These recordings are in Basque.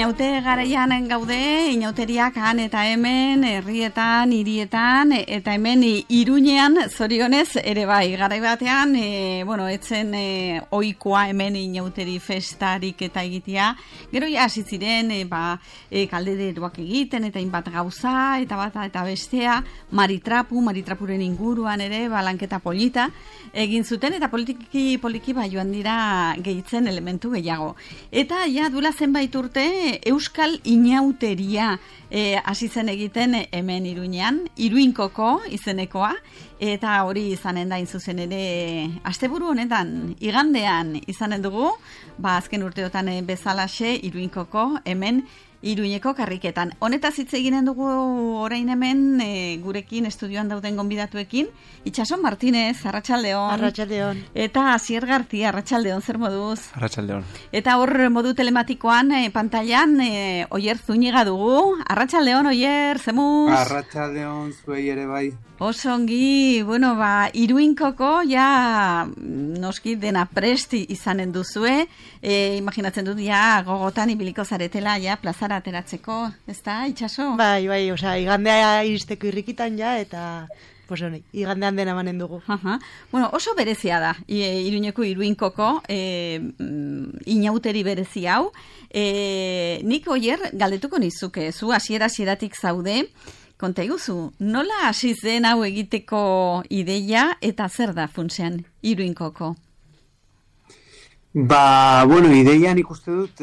inaute garaian gaude, inauteriak han eta hemen, herrietan, hirietan, eta hemen Iruñean zorionez ere bai. Garai batean, etzen ohikoa hemen inauteri festarik eta egitea. Gero ja hasi ziren, kaldederoak egiten, eta hainbat gauza, eta bata eta bestea, maritrapuren inguruan ere, lanketa polita egin zuten, eta poliki joan dira gehitzen elementu gehiago. Eta ja dula zenbait urte euskal inauteria hasi zen egiten hemen Iruñean, Iruinkoko izenekoa, eta hori izanen da zuzen ere asteburu honetan, igandean izanen dugu, azken urteotan bezalaxe Iruinkoko hemen Iruñeko karriketan. Honetaz hitz eginen dugu orain hemen gurekin estudioan dauden gonbidatuekin, Itxason Martínez, arratsaldeon. Arratsaldeon. Eta Asier Gartia, arratsaldeon, zer moduz? Arratsaldeon. Eta hor modu telematikoan pantailan Oier Zúñiga dugu. Arratsaldeon, Oier, zemuz? Arratsaldeon, zuei ere bai. Oso ongi, Iruinkoko ja noski dena presti izanen duzue, imaginatzen dut ja gogotan ibiliko zaretela ja plazara ateratzeko, ez da, Itxaso? Bai, igandea iristeko irrikitan ja, eta igandean dena manen dugu. Oso berezia da, Iruñeko Iruinkoko inauteri berezi hau. Nik Oier galdetuko nizuke, zu hasieratik zaude, konta iguzu, nola hasi zen hau egiteko ideia eta zer da funtsean Iruinkoko? Ideian ikuste dut,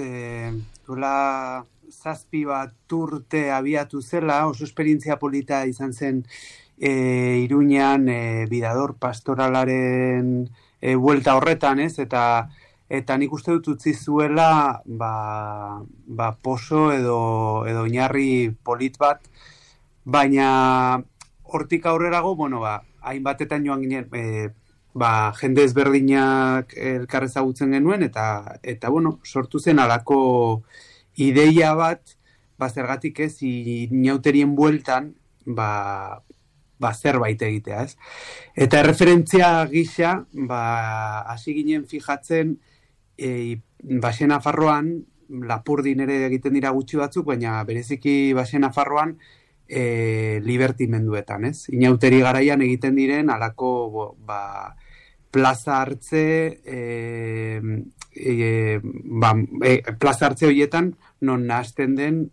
duela 7 urte abiatu zela, oso esperientzia polita izan zen Iruñean bidador pastoralaren buelta horretan, ez? Eta nik uste dut utzi zuela poso edo oinarri polit bat, baina hortik aurrerago, hainbatetan joan ginen, jende ezberdinak elkar ezagutzen genuen, eta sortu zen alako ideia bat, zergatik ez, inauterien bueltan, zerbait egitea, ez? Eta erreferentzia gisa, hasi ginen fijatzen, Baxe Nafarroan, Lapurdin ere egiten dira gutxi batzuk, baina bereziki Baxe Nafarroan, libertimenduetan, ez? Inauteri garaian egiten diren alako plaza hartze plaza hartze horietan non nahasten den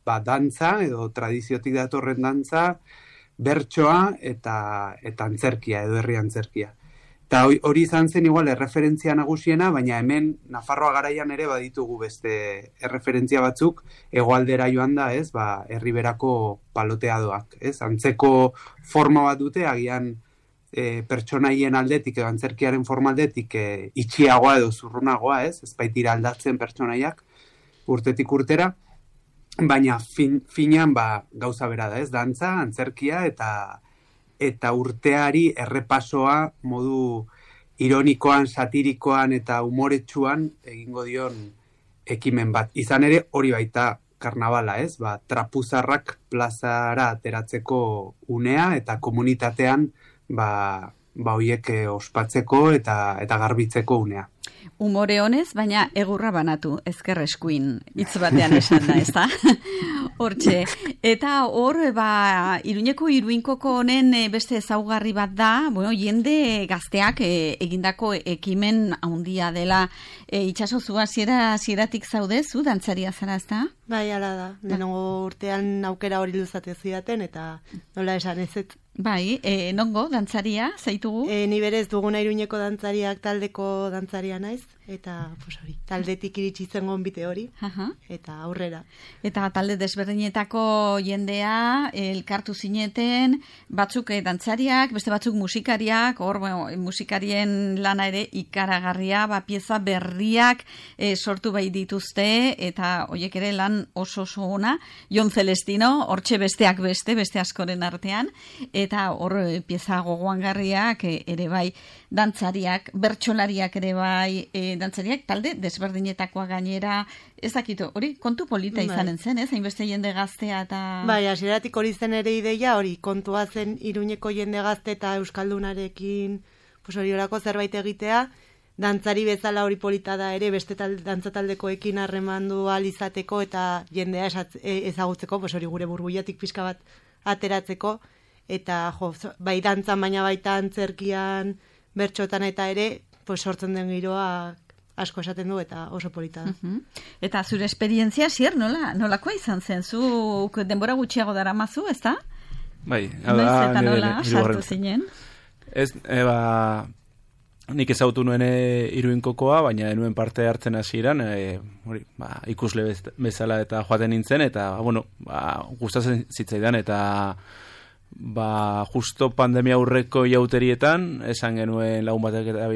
dantza edo tradiziotik datorren dantza, bertsoa eta antzerkia edo herri antzerkia. Eta hori izan zen igual erreferentzia nagusiena, baina hemen Nafarroa garaian ere baditugu beste erreferentzia batzuk, hegoaldera joan da, ez, herriberako paloteadoak, ez, antzeko forma bat dute, agian pertsonaien aldetik edo antzerkiaren forma aldetik itxiagoa edo zurrunagoa, ez baitira aldatzen pertsonaiak urtetik urtera, baina finean gauza bera da, ez, dantza, antzerkia eta urteari errepasoa modu ironikoan, satirikoan eta umoretsuan egingo dion ekimen bat. Izan ere hori baita karnabala, ez? Trapuzarrak plazara ateratzeko unea eta komunitatean hoiek ospatzeko eta garbitzeko unea. Umore honez, baina egurra banatu, ezker eskuin, hitz batean esan da, ez da? Hortxe. Eta hor, Iruñeko Iruinkoko honen beste ezaugarri bat da, jende gazteak egindako ekimen handia dela. Itxaso, zu hasieratik zaude, zu dantzaria zara, ez da? Bai, ala da. Denongo urtean aukera hori luzate zidaten, eta nola esan ez. Bai, nongo dantzaria, zaitugu? Ni berez duguna Iruñeko dantzariak taldeko dantzaria naiz, eta taldetik iritsi zen gonbite hori, eta aurrera. Eta talde desberdinetako jendea elkartu zineten, batzuk dantzariak, beste batzuk musikariak, hor musikarien lana ere ikaragarria, pieza berriak sortu bai dituzte, eta horiek ere lan oso ona, Jon Celestino, hortxe besteak beste askoren artean, eta hor pieza gogoangarriak ere bai dantzariak, bertsolariak ere bai dantzariak, talde desberdinetakoa gainera, ez dakito, hori kontu polita izanen zen, ez? Hainbeste jende gaztea eta... Bai, hasieratik hori zen ere ideia, hori kontua zen Iruñeko jende gazte eta euskaldunarekin hori orako zerbait egitea, dantzari bezala hori polita da ere, beste dantzataldekoekin harremandu alizateko eta jendea ezagutzeko, pues hori gure burbuiatik pixka bat ateratzeko, eta bai dantzan baina baita antzerkian, bertxotan eta ere, pues sortzen den giroa asko esaten du eta oso polita da. Eta zure esperientzia, nolakoa izan zen? Zuk denbora gutxiago daramazu, ez da? Bai, noiz eta nola sartu zinen? Ez, nik ezagutu nuen Iruinkokoa, baina nuen parte hartzen hasieran, ikusle bezala eta joaten nintzen, eta, gustatzen zitzaidan, eta justo pandemia aurreko jauterietan, esan genuen lagun batek eta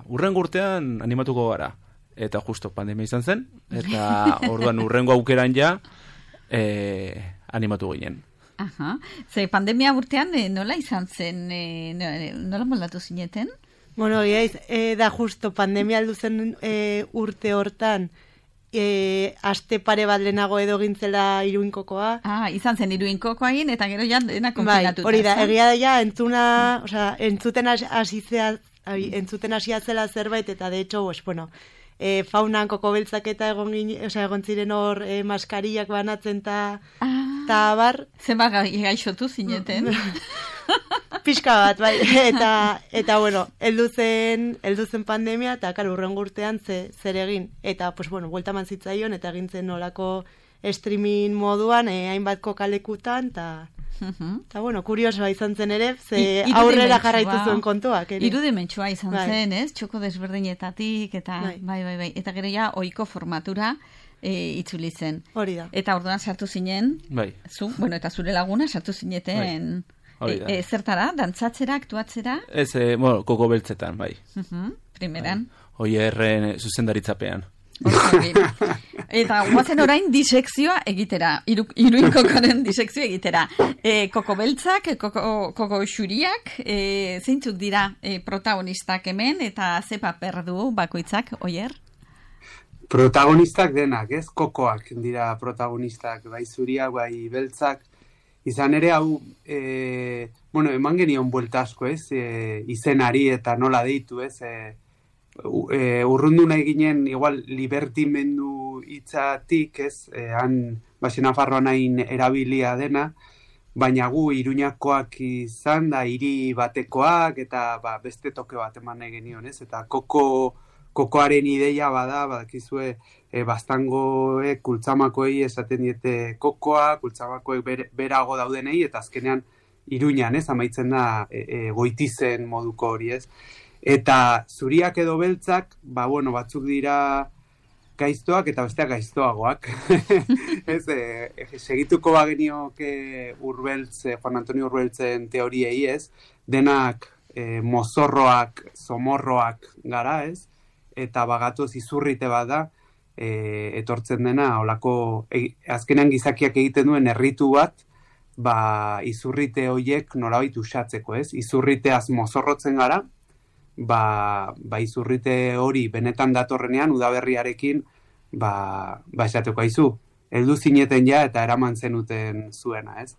urrengo urtean animatuko gara. Eta justo pandemia izan zen, eta orduan urrengo aukeran ja animatu ginen. Aha. Ze pandemia urtean nola izan zen, nola moldatu zineten? Bueno, da justo pandemia aldu zen urte hortan, aste pare bat lehenago edo gintzela Iruinkokoa. Izan zen Iruinkokoa egin, eta gero ja dena konfinatuta. Hori da, egia da ja, entzuten hasia zela zerbait, eta de hecho, faunan kokobeltzak eta egon ziren hor maskariak banatzen eta bar. Zenba gaixotu zineten. Pixka bat, bai, eta heldu zen pandemia, eta urrengo urtean zer egin, eta, buelta man zitzaion, eta egin zen nolako streaming moduan, hainbat kokalekutan, eta, kuriosoa izan zen ere, ze aurrera jarraitu zuen kontuak. Irudimentsua izan zen, ez? Txoko desberdinetatik, eta, bai, eta gero ja, ohiko formatura, itzuli zen. Hori da. Eta orduan sartu zinen, bai. Eta zure laguna sartu zineten... Zertara, dantzatzera, aktuatzera? Ez, koko beltzetan, bai. Primeran. Oierren zuzendaritzapean. Eta guazen orain disekzioa egitera, Iruinkokoaren disekzioa egitera. Koko beltzak, koko xuriak, zeintzuk dira protagonistak hemen, eta ze paper du bakoitzak, Oier? Protagonistak denak, ez? Kokoak dira protagonistak, bai zuriak, bai beltzak. Izan ere, hau, eman genion buelta asko, ez? Izenari eta nola deitu, ez? Urrundu nahi ginen, igual, libertimendu hitzatik, ez? Han, Nafarroan hain erabilia dena, baina gu Iruñakoak izan da, hiri batekoak, eta beste toke bat eman nahi genion, ez? Eta kokoaren ideia badakizue, baztangoek, kultzamakoei esaten diete kokoa, kultzamakoek berago daudenei, eta azkenean Iruñan, ez, amaitzen da goitizen moduko hori, ez. Eta zuriak edo beltzak, batzuk dira gaiztoak eta besteak gaiztoagoak. Ez, segituko bagenioke Juan Antonio Urbeltzen teoriei, ez, denak mozorroak, zomorroak gara, ez, eta bagatoz izurrite bat da, etortzen dena, holako, azkenean gizakiak egiten duen erritu bat, izurrite horiek nolabait usatzeko, ez? Izurriteaz mozorrotzen gara, izurrite hori benetan datorrenean, udaberriarekin, esateko aizu, heldu zineten ja eta eraman zenuten zuena, ez?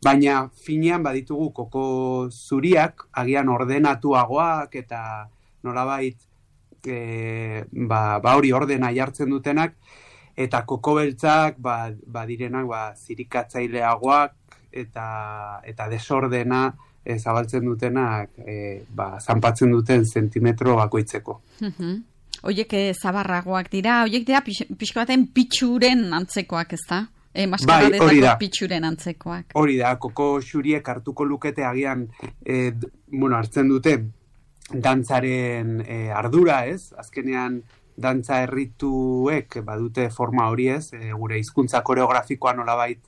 Baina finean baditugu koko zuriak, agian ordenatuagoak eta nolabait, hori ordena jartzen dutenak, eta koko beltzak direnak zirikatzaileagoak eta desordena zabaltzen dutenak zanpatzen duten zentimetro bakoitzeko. Oiek zabarragoak dira, oiek dira pixko baten pitxuren antzekoak, ez da? Maskaradetako pitxuren antzekoak. Hori da, koko xuriek hartuko lukete agian hartzen dute dantzaren ardura, ez? Azkenean dantza errituek badute forma hori, ez? Gure hizkuntza koreografikoa nolabait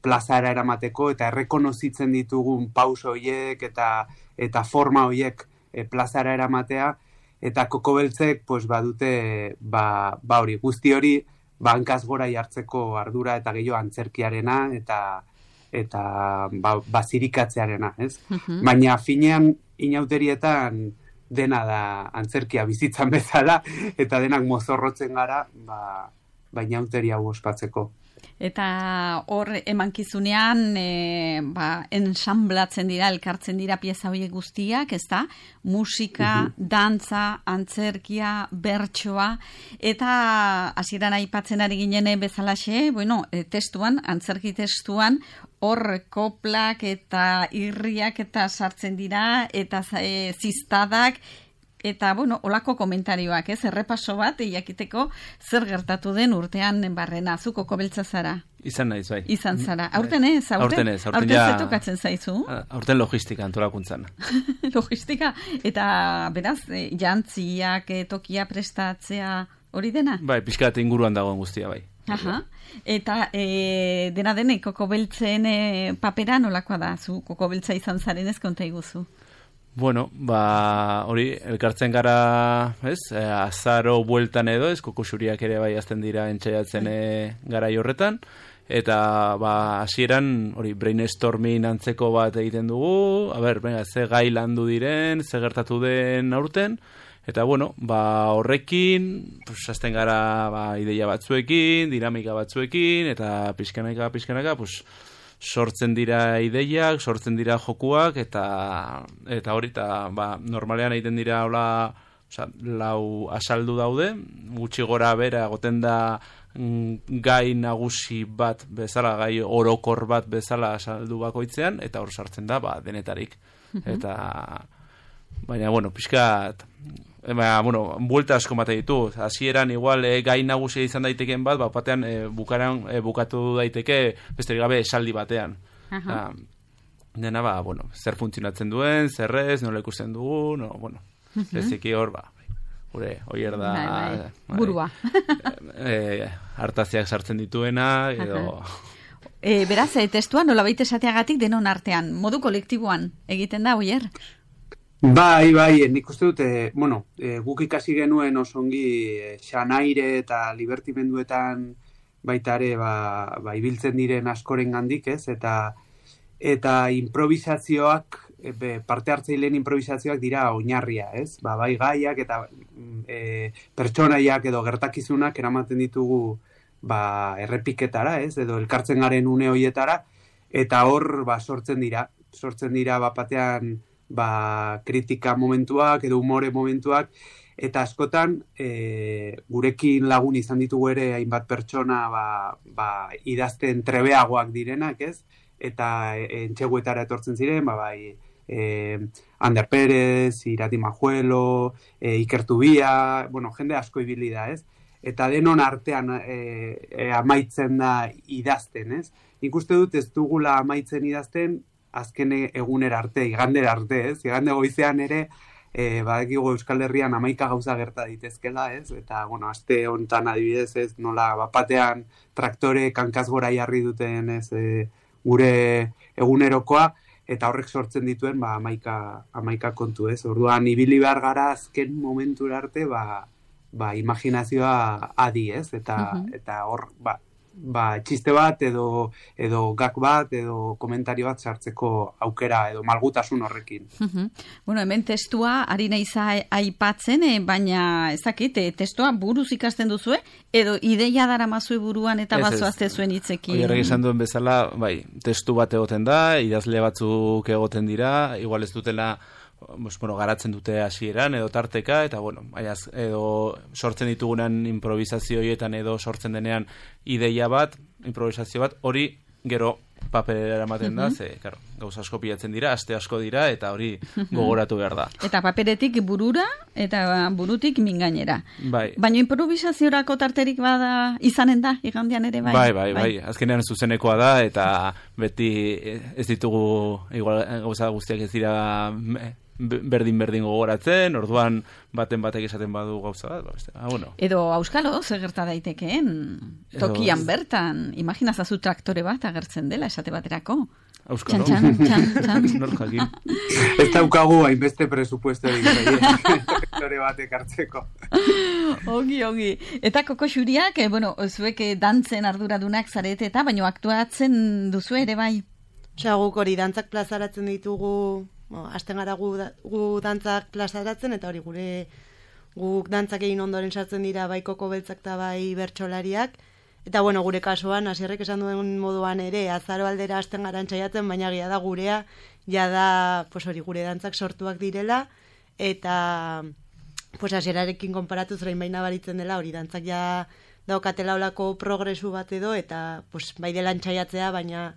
plazara eramateko eta errekonozitzen ditugun pauso horiek eta forma horiek plazara eramatea, eta koko beltzek badute hori, guzti hori hankaz gora jartzeko ardura eta gehiago antzerkiarena eta zirikatzearena, ez? Baina finean inauterietan dena da antzerkia bizitzan bezala, eta denak mozorrotzen gara, inauteria hau ospatzeko. Eta hor emankizunean ensamblatzen dira, elkartzen dira pieza horiek guztiak, ezta? Musika, dantza, antzerkia, bertsoa, eta hasieran aipatzen ari ginen bezalaxe, testuan, antzerki testuan, hor koplak eta irriak eta sartzen dira, eta ziztadak, eta, olako komentarioak, errepaso bat, jakiteko zer gertatu den urtean barrena, zu kokobeltza zara. Izan naiz, bai. Izan zara. Aurten ez? Aurten zetokatzen zaizu? Aurten logistika antolakuntzan. Logistika, eta beraz, jantziak, tokia prestatzea hori dena? Bai, pixkat inguruan dagoen guztia, bai. Aha. Eta dena denek kokobeltzen papera nolakoa da? Zu kokobeltza izan zaren ez konta iguzu? Bueno, hori, elkartzen gara, azaro bueltan edo, kokoxuriak ere bai azten dira entxaiatzen garai horretan, eta hasieran hori brainstorming antzeko bat egiten dugu, ze gai landu diren, ze gertatu den aurten, eta horrekin, azten gara ideia batzuekin, dinamika batzuekin, eta pixkanaka, sortzen dira ideiak, sortzen dira jokuak, eta hori, normalean egiten dira lau asaldu daude, gutxi gora bera goten da gai nagusi bat bezala, gai orokor bat bezala asaldu bakoitzean, eta hor sartzen da denetarik. Eta, baina, pixkat, buelta asko mate ditu. Hasieran igual gai nagusia izan daiteken bat, batean bukatu daiteke besterik gabe esaldi batean. Dena, zer funtzionatzen duen, zer ez, nola ikusten dugu, eziki hor, gure, oier da... Burua. Hartaziak sartzen dituena, edo... Beraz, testua nola baita esateagatik denon artean, modu kolektiboan egiten da, oier? Bai, nik uste dute, guk ikasi genuen osongi xanaire eta libertimenduetan baita ere ibiltzen diren askoren gandik, ez? Eta improvisazioak, parte hartzaileen improvisazioak dira oinarria, ez? Bai gaiak eta pertsonaiak edo gertakizunak eramaten ditugu errepiketara, ez? Edo elkartzen garen une hoietara, eta hor sortzen dira batean kritika momentuak edo umore momentuak, eta askotan gurekin lagun izan ditugu ere hainbat pertsona idazten trebeagoak direnak, ez? Eta entxeguetara etortzen ziren, Ander Pérez, Irati Majuelo, Iker Tubia, jende asko ibili da, ez? Eta denon artean amaitzen da idazten, ez? Nik uste dut ez dugula amaitzen idazten azken egunera arte, igandera arte, ez? Igande goizean ere, badakigu Euskal Herrian 11 gauza gerta daitezkela, ez? Eta, aste hontan adibidez, ez? Nola, batean traktore kankaz gora jarri duten, ez? Gure egunerokoa, eta horrek sortzen dituen, 11 kontu, ez? Orduan, ibili behar gara azken momentura arte, imaginazioa adi, ez? Eta hor, txiste bat edo gak bat edo komentario bat sartzeko aukera edo malgutasun horrekin. Hemen testua ari naiz aipatzen, baina ezakit, testua buruz ikasten duzue edo ideia daramazue buruan eta bazoazte zuen hitzekin. Oierrek esan duen bezala, testu bat egoten da, idazle batzuk egoten dira, igual ez dutela garatzen dute hasieran edo tarteka, eta edo sortzen ditugunan improvisazio horietan edo sortzen denean ideia bat, improvisazio bat, hori gero paperera ematen da, gauza asko pilatzen dira, aste asko dira, eta hori gogoratu behar da. Eta paperetik burura, eta burutik mingainera. Baina improvisaziorako tarterik bada izanen da, igandean ere bai? Bai. Azkenean zuzenekoa da, eta beti ez ditugu gauza guztiak ez dira berdin gogoratzen, orduan batek esaten badu gauza bat, Edo auskalo, zer gerta daitekeen, tokian bertan, imaginazazu traktore bat agertzen dela, esate baterako. Auskalo. Txan. Norjakin. Ez daukagu hainbeste presupuesto traktore batek hartzeko. Ongi. Eta kokoxuriak, zuek dantzen arduradunak zarete eta, baina aktuatzen duzu ere bai? Guk hori dantzak plazaratzen ditugu, hasten gara gu dantzak plazaratzen, eta hori guk dantzak egin ondoren sartzen dira bai kokobeltzak eta bai bertsolariak, Eta bueno, gure kasuan, Asierrek esan duen moduan ere, azaro aldera hasten gara entzaiatzen, baina gira da gurea, jada, pues hori, gure dantzak sortuak direla, eta pues Asierarekin konparatuz orain baina baritzen dela, hori dantzak ja daukatela olako progresu bat edo, eta pues bai dela entzaiatzea, baina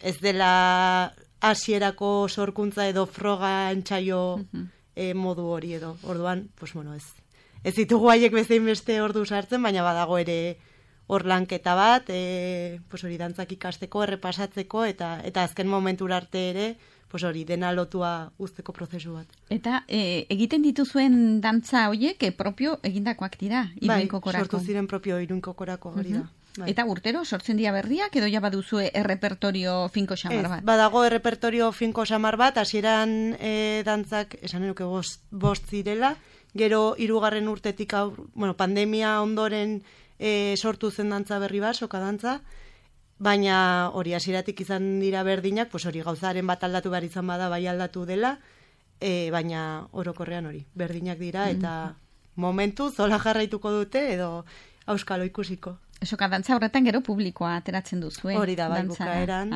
ez dela hasierako sorkuntza edo froga entzaio modu hori edo. Orduan, pues bueno, ez ditugu haiek bezein beste ordu sartzen, baina badago ere hor lanketa bat, pues hori dantzak ikasteko, errepasatzeko, eta azken momentura arte ere, pues hori dena lotua uzteko prozesu bat. Eta egiten dituzuen dantza horiek propio egindakoak dira, Iruinkokorako. Bai, sortu ziren propio Iruinkokorako hori da. Bai. Eta urtero sortzen dira berriak, edo ja baduzue errepertorio finko xamar bat? Badago errepertorio finko xamar bat, hasieran dantzak, esan enuke bost zirela, gero 3. urtetik pandemia ondoren sortu zen dantza berri bat, soka dantza, baina hori hasieratik izan dira berdinak, pues hori gauzaren bat aldatu behar izan bada bai aldatu dela, baina orokorrean hori, berdinak dira, eta momentu zola jarraituko dute, edo auskalo ikusiko. Soka dantza horretan gero publikoa ateratzen duzu, Hori da, bai, bukaeran.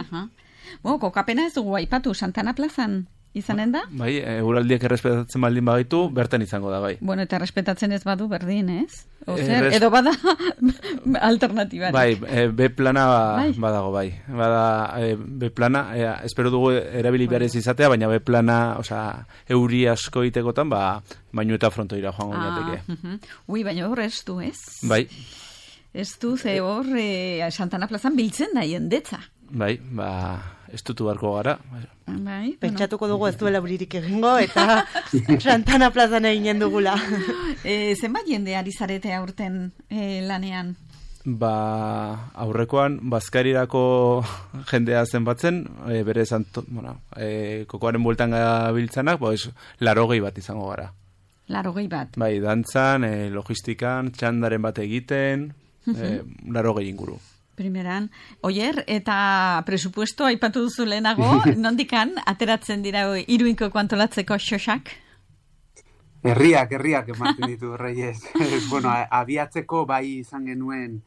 Kokapena ez dugu aipatu, Santana plazan izanen da? Bai, eguraldiak errespetatzen baldin bagaitu, bertan izango da, bai. Bueno, eta errespetatzen ez badu berdin, ez? Edo bada alternatibari. Bai, B-plana badago, bai. B-plana, espero dugu erabili behar ez izatea, baina B-plana, euri asko itekotan, baino eta frontoira joango ginateke. Ui, baina hor ez du, ez? Bai. Ez du, ze hor Santana plazan biltzen da jendetza. Bai, ez dutu barko gara. Bai, pentsatuko dugu ez duela buririk egingo, eta Santana plazan eginen dugula. Zenbat jende ari zarete aurten lanean? Aurrekoan, Bazkarirako jendea zenbatzen, bere kokoaren bueltan gabiltzanak, 80 bat izango gara. 80 bat? Bai, dantzan, logistikan, txandaren bat egiten, 80 inguru. Primeran. Oier, eta presupuesto aipatu duzu lehenago, nondikan ateratzen dira Iruinkoko antolatzeko xosak? Herriak ematen ditu, Reyes. Bueno, abiatzeko bai izan genuen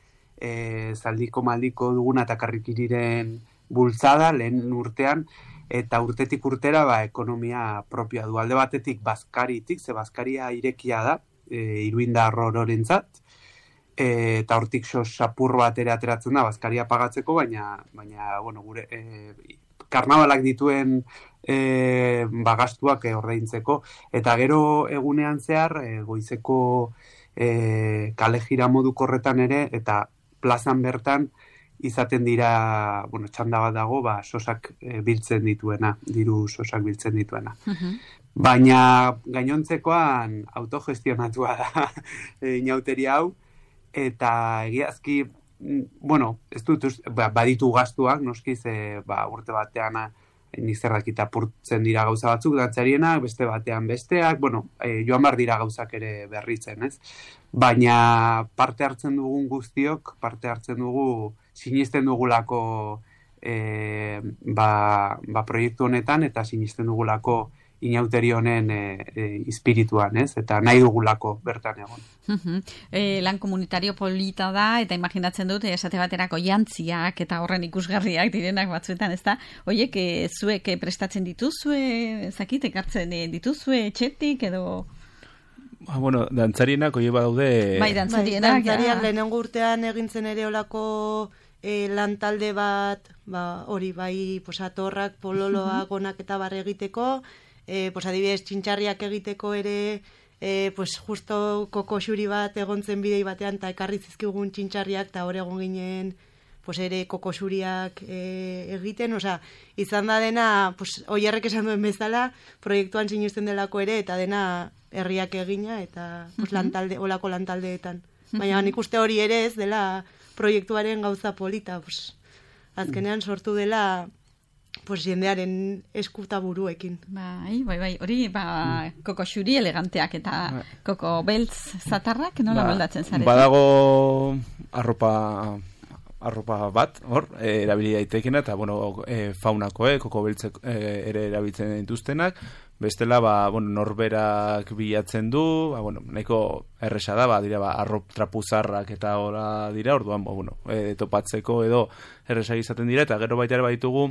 zaldiko maldiko duguna eta karrikiriren bultzada lehen urtean, eta urtetik urtera ekonomia propioa du. Alde batetik Bazkaritik, ze Bazkaria irekia da, Iruindar ororentzat, eta hortik sapur bat ere ateratzen da Bazkaria pagatzeko, baina bueno, gure karnabalak dituen gastuak ordaintzeko, eta gero egunean zehar goizeko kale jira moduko horretan ere, eta plazan bertan izaten dira, bueno, txanda bat dago, sosak biltzen dituena, diru sosak biltzen dituena. Baina gainontzekoan autogestionatua da inauteria hau, eta egiazki, bueno, ez dut, baditu gastuak, noski, ze urte batean nizerrak apurtzen dira gauza batzuk, dantzarienak, beste batean besteak, bueno, joan bar dira gauzak ere berritzen, ez? Baina parte hartzen dugun guztiok, parte hartzen dugu, sinisten dugulako proiektu honetan, eta sinisten dugulako inauteri honen espirituan, ez? Eta nahi dugulako bertan egon. Lan komunitario polita da, eta imaginatzen dut, esate baterako jantziak eta horren ikusgarriak direnak batzuetan, ez da? Oiek, zuek prestatzen dituzue, zakit, ekartzen dituzue, etxetik, edo... Bueno, dantzarienak oie badaude... Bai, dantzarienak, lehenengo urtean egintzen ere olako lantalde bat, hori bai, atorrak, pololoak, onak eta barre egiteko, adibidez, txintxarriak egiteko ere, justo koko xuri bat egontzen bidei batean, eta ekarri zizkigun txintxarriak, eta hor egon ginen, ere koko xuriak egiten, izan da dena, oierrek esan duen bezala, proiektuan sinusten delako ere, eta dena herriak egina, eta olako lantaldeetan. Baina nik uste hori ere ez dela proiektuaren gauza polita, azkenean sortu dela, jendearen eskuta buruekin. Bai, hori, koko xuri eleganteak eta koko beltz zatarrak, nola moldatzen zarete? Badago arropa arropa bat, hor, erabili daitekena, eta, bueno, faunakoek, koko beltzek ere erabiltzen dituztenak, bestela, norberak bilatzen du, nahiko erresa da, dira, arrop trapuzarrak eta hola dira, orduan, topatzeko edo erresak izaten dira, eta gero baita ere baditugu,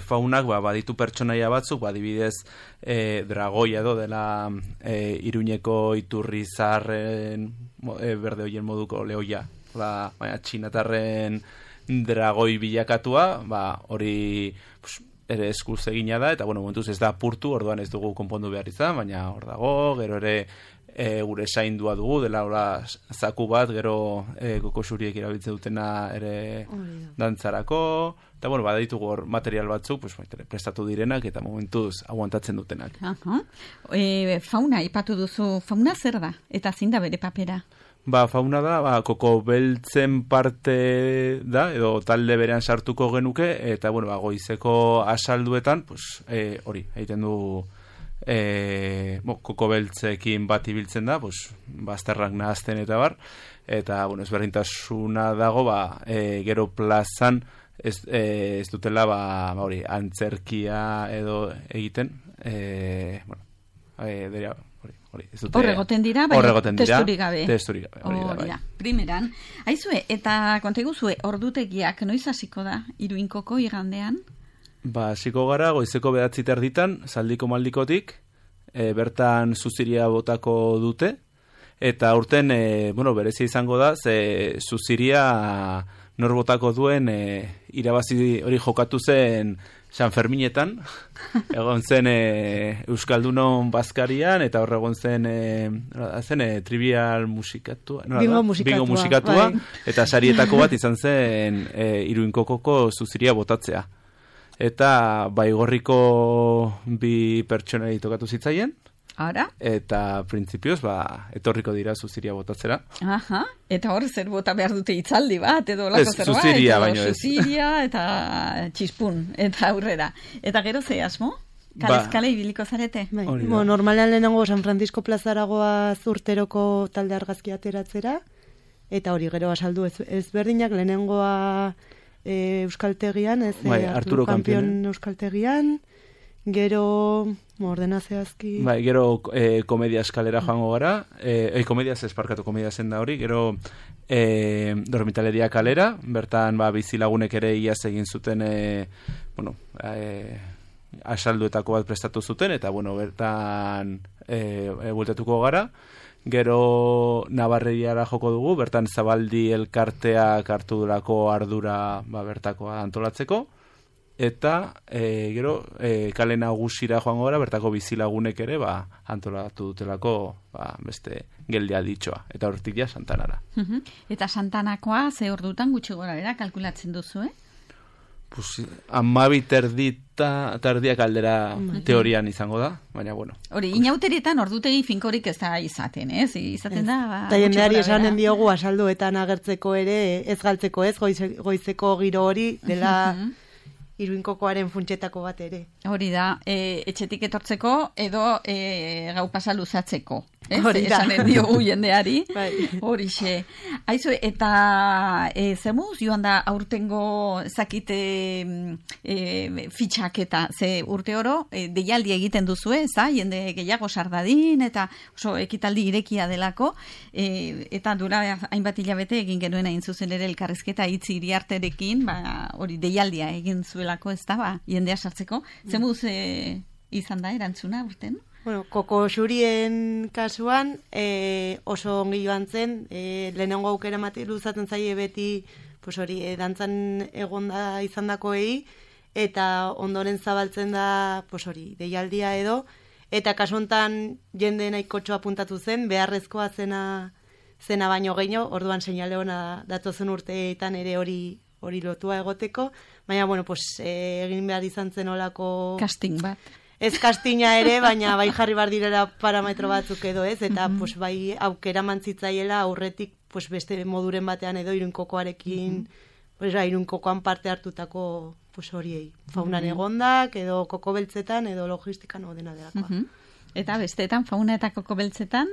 faunak baditu pertsonaia batzuk, adibidez dragoia edo dela Iruñeko iturri zaharren berde hoien moduko lehoia, baina txinatarren dragoi bilakatua, hori ere eskuz egina da, eta momentuz ez da apurtu, orduan ez dugu konpondu behar izan, baina hor dago, gero ere gure zaindua dugu, dela zaku bat, gero koko xuriek erabiltzen dutena ere dantzarako, eta baditugu hor material batzuk, prestatu direnak, eta momentuz aguantatzen dutenak. Fauna, ipatu duzu, fauna zer da? Eta zein da bere papera? Fauna da, koko beltzen parte da, edo talde berean sartuko genuke, eta goizeko asalduetan, hori, egiten du koko beltzekin bat ibiltzen da, bazterrak nahazten eta bar, eta ezberdintasuna dago, gero plazan ez dutela hori, antzerkia edo egiten, Horregoten dira, testurik gabe. Hori da. Primeran. Aizue, eta konteguzue, ordutegiak noiz hasiko da, Iruinkoko igandean? Hasiko gara, goizeko 9:30, zaldiko maldikotik, bertan zuziria botako dute, eta urten, berezia izango da, ze zuziria nor botako duen irabazi hori jokatu zen San Ferminetan, egon zen Euskaldunon Bazkarian, eta hor egon zen trivial musikatua. Bingo musikatua. Eta sarietako bat izan zen Iruinkokoko zuziria botatzea. Eta baigorriko bi pertsonei tokatu zitzaien, Ara? Eta printzipioz, etorriko dira zuziria botatzera. Aha, eta hor zer bota behar dute itzaldi bat, edo lako zerbait. Zuziria, baino ez. Zuziria eta txispun, eta aurrera. Eta gero ze asmo? Kalezkale ibiliko zarete? Normalean lehenengo San Francisco plazaragoa urteroko talde argazki ateratzera, eta hori gero asaldu ezberdinak lehenengoa Euskaltegian, Arturo Kampion Euskaltegian, gero ordenazioazki... gero komedia eskalera joango gara, komedia zen da hori, gero dormitaleria kalera, bertan bizilagunek ere iaz egin zuten, asalduetako bat prestatu zuten, eta bertan bueltatuko gara, gero Navarriara joko dugu, bertan Zabaldi elkarteak hartu durako ardura bertakoa antolatzeko, eta gero kale nagusira joango gara, bertako bizilagunek ere antolatu dutelako beste geldia ditxoa, eta hortik ja Santanara. Eta Santanakoa ze ordutan gutxi gorara kalkulatzen duzu, Pues, 12 terdiak aldera teorian izango da, baina bueno. Hori, inauterietan ordutegi finkorik ez da izaten, ez? Izaten da... Eta jendeari esanen diogu asalduetan agertzeko ere, ez galtzeko ez, goizeko giro hori, dela Iruinkokoaren funtsetako bat ere. Hori da, etxetik etortzeko edo gau pasa luzatzeko. Hori da. Esanen diogu jendeari. Horixe. Aizu, eta zer moduz joan da aurtengo zakite fitxaketa, ze urte oro deialdi egiten duzu, jende gehiago sardadin, eta oso ekitaldi irekia delako, eta dura hainbat hilabete egin genuen hain zuzen ere elkarrizketa hitzi Iriarterekin, hori deialdia egin zuelako, ez da, jendea sartzeko. Zer moduz izan da erantzuna urten? Koko xurien kasuan oso ongi joan zen, lehenengo aukera luzaten zaie beti dantzan egonda izan dakoei, eta ondoren zabaltzen da deialdia edo, eta kasu hontan jende nahikotxo apuntatu zen, beharrezkoa zena baino gehiago, orduan seinale ona datozen urteetan ere hori lotua egoteko, baina egin behar izan zen olako... Casting bat. Ez kastina ere, baina bai jarri bar direla parametro batzuk edo ez, eta bai aukera mantzitzaiela aurretik beste moduren batean edo Iruinkokoarekin, Iruinkokoan parte hartutako horiei. Faunan egondak, edo koko beltzetan, edo logistikan odena delakoa. Eta besteetan, fauna eta koko beltzetan?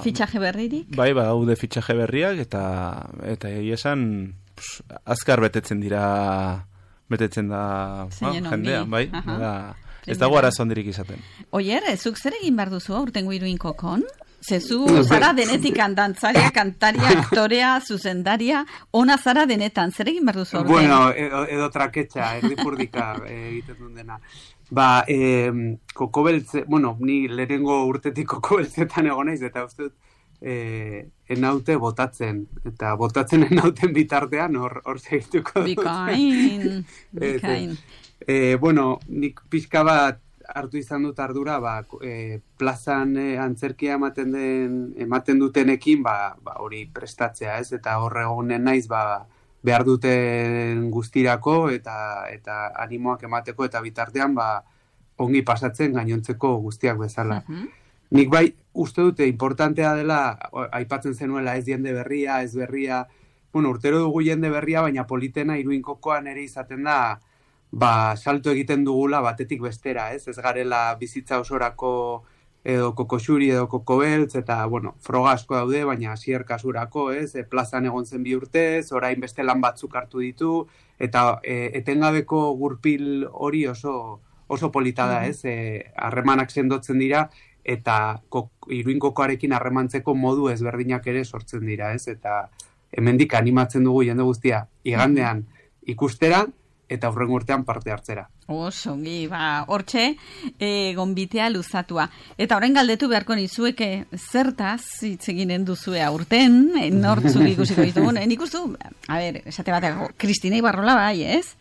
Fitxaje berririk? Bai, daude fitxaje berriak, eta egia esan azkar betetzen da jendea, bai? Ez dago arazo handirik izaten. Oier, zuk zer egin behar duzu aurtengo Iruin kokon? Zezu zara denetik dantzaria, kantaria, aktorea, zuzendaria, ona zara denetan, zer egin behar duzu aurten? Bueno, edo traketxa, erdipurdika egiten duen dena. Kokobeltze, bueno, ni lehenengo urtetik kokobeltzetan egon naiz, eta uste dut, enaute botatzen, eta botatzen enauten bitartean hor segituko dut. Bikain. Bueno, nik pixka bat hartu izan dut ardura, plazan antzerkia ematen dutenekin, hori prestatzea, ez? Eta hor egonen naiz, behar duten guztirako, eta animoak emateko, eta bitartean, ongi pasatzen gainontzeko guztiak bezala. Nik bai, uste dute, importantea dela, aipatzen zenuela, ez jende berria, ez berria, bueno, urtero dugu jende berria, baina politena Iruin kokoan ere izaten da, salto egiten dugula batetik bestera, ez? Ez garela bizitza osorako edo kokoxuri edo kokobeltz, eta, bueno, froga asko daude, baina Asier kasurako, ez? Plazan egon zen 2 urtez, orain beste lan batzuk hartu ditu, eta etengabeko gurpil hori oso polita da, ez? Harremanak sendotzen dira, eta Iruin kokoarekin harremantzeko modu ezberdinak ere sortzen dira, ez? Eta hemendik animatzen dugu jende guztia igandean ikustera, eta hurrengo urtean parte hartzera. Osongi, hortxe, gonbitea luzatua. Eta orain galdetu beharko nizueke zertaz hitz eginen duzue aurten, nortzuk ikusiko ditugu. Nik ustu, esate bateko, Kristina Ibarrola bai, ez?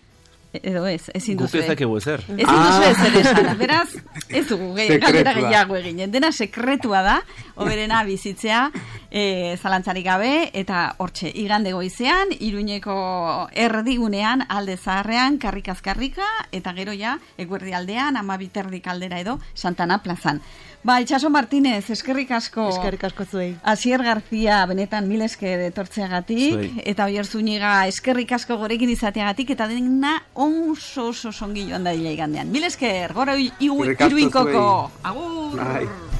Edo ezin duzu. Guk ezakegu ezer. Ezin duzu ezer esan. Beraz, ez dugu galdera gehiago eginen. Dena sekretua da, oberena bizitzea, zalantzarik gabe, eta hortxe, igande goizean, Iruñeko erdigunean, alde zaharrean, karrikaz-karrika, eta gero ja, eguerdi aldean, 12 aldera edo, Santana plazan. Itxaso Martínez, eskerrik asko. Eskerrik asko zuei. Asier Garzia, benetan mil esker etortzeagatik, eta Oier Zúñiga, eskerrik asko gorekin izateagatik, eta dena oso songi joan da igandean. Mil esker, gora Iruin koko. Agur!